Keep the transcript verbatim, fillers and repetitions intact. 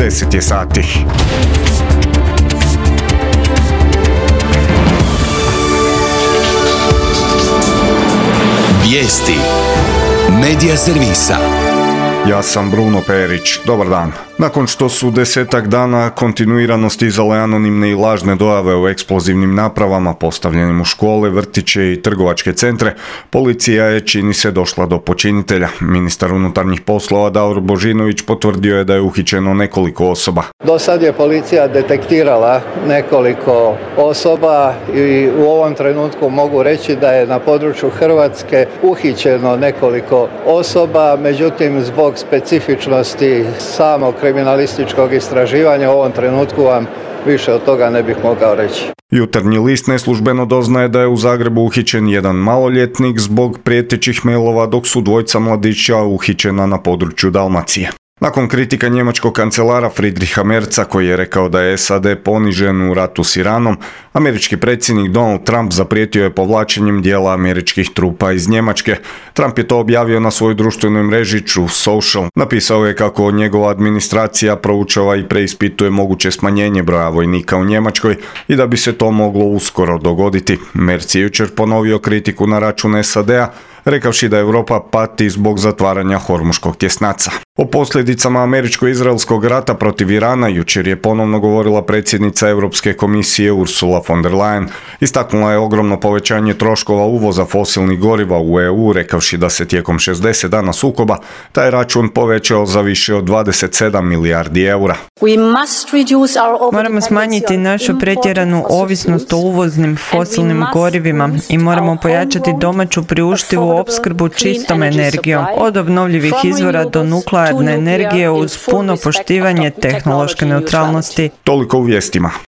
deset je sati. Vijesti Medija servisa. Ja sam Bruno Perić. Dobar dan. Nakon što su desetak dana kontinuirano stizale anonimne i lažne dojave o eksplozivnim napravama postavljenim u škole, vrtiće i trgovačke centre, policija je, čini se, došla do počinitelja. Ministar unutarnjih poslova Davor Božinović potvrdio je da je uhićeno nekoliko osoba. Do sad je policija detektirala nekoliko osoba i u ovom trenutku mogu reći da je na području Hrvatske uhićeno nekoliko osoba, međutim zbog specifičnosti samog kriminalističkog istraživanja u ovom trenutku vam više od toga ne bih mogao reći. Jutarnji list neslužbeno doznaje da je u Zagrebu uhićen jedan maloljetnik zbog prijetećih mailova, dok su dvojica mladića uhićena na području Dalmacije. Nakon kritika njemačkog kancelara Friedricha Merza, koji je rekao da je S A D ponižen u ratu s Iranom, američki predsjednik Donald Trump zaprijetio je povlačenjem dijela američkih trupa iz Njemačke. Trump je to objavio na svojoj društvenoj mreži Truth Social. Napisao je kako njegova administracija proučava i preispituje moguće smanjenje broja vojnika u Njemačkoj i da bi se to moglo uskoro dogoditi. Merz je jučer ponovio kritiku na račun S A D-a, rekavši da Europa pati zbog zatvaranja Hormuškog tjesnaca. O posljedicama američko-izraelskog rata protiv Irana jučer je ponovno govorila predsjednica Europske komisije Ursula von der Leyen. Istaknula je ogromno povećanje troškova uvoza fosilnih goriva u E U, rekavši da se tijekom šezdeset dana sukoba taj račun povećao za više od dvadeset sedam milijardi eura. Moramo smanjiti našu pretjeranu ovisnost o uvoznim fosilnim gorivima i moramo pojačati domaću priuštivu opskrbu čistom energijom, od obnovljivih izvora do nuklearne energije uz puno poštivanje tehnološke neutralnosti. Toliko u vijestima.